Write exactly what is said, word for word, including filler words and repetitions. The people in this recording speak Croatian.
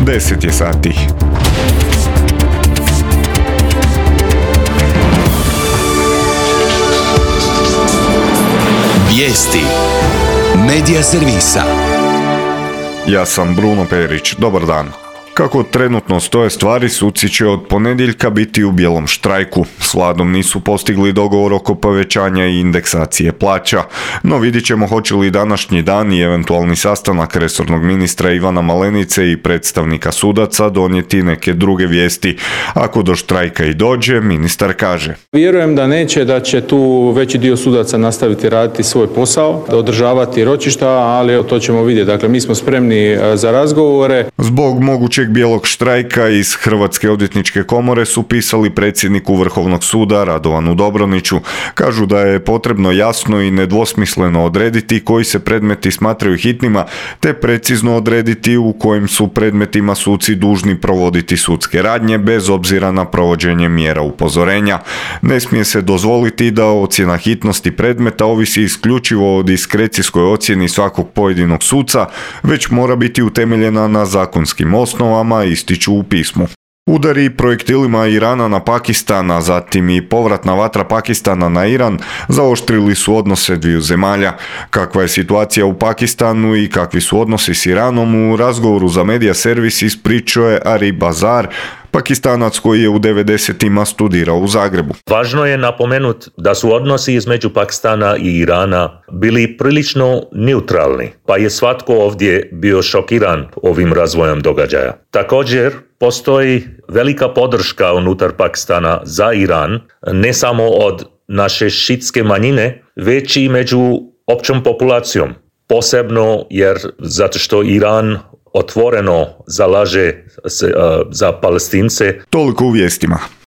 deset je sati. Vijesti Medija servisa. Ja sam Bruno Perić, dobar dan. Kako trenutno stoje stvari, suci će od ponedjeljka biti u bijelom štrajku. S vladom nisu postigli dogovor oko povećanja i indeksacije plaća, no vidjet ćemo hoće li današnji dan i eventualni sastanak resornog ministra Ivana Malenice i predstavnika sudaca donijeti neke druge vijesti. Ako do štrajka i dođe, ministar kaže: Vjerujem da neće, da će tu veći dio sudaca nastaviti raditi svoj posao, da održavati ročišta, ali to ćemo vidjeti. Dakle, mi smo spremni za razgovore. Zbog mogućeg bijelog štrajka iz Hrvatske odvjetničke komore su pisali predsjedniku Vrhovnog suda Radovanu Dobroniću. Kažu da je potrebno jasno i nedvosmisleno odrediti koji se predmeti smatraju hitnima, te precizno odrediti u kojim su predmetima suci dužni provoditi sudske radnje bez obzira na provođenje mjera upozorenja. Ne smije se dozvoliti da ocjena hitnosti predmeta ovisi isključivo o diskrecijskoj ocjeni svakog pojedinog suca, već mora biti utemeljena na zakonskim osnovama, ističu u pismu. Udari projektilima Irana na Pakistan, a zatim i povratna vatra Pakistana na Iran zaoštrili su odnose dviju zemalja. Kakva je situacija u Pakistanu i kakvi su odnosi s Iranom, u razgovoru za Medija servis ispričao je Arif Bazar, Pakistanac koji je u devedesetima studirao u Zagrebu. Važno je napomenuti da su odnosi između Pakistana i Irana bili prilično neutralni, pa je svatko ovdje bio šokiran ovim razvojem događaja. Također, postoji velika podrška unutar Pakistana za Iran, ne samo od naše šitske manjine, već i među općom populacijom. Posebno jer zato što Iran otvoreno zalaže se uh, za Palestince. Toliko u vijestima.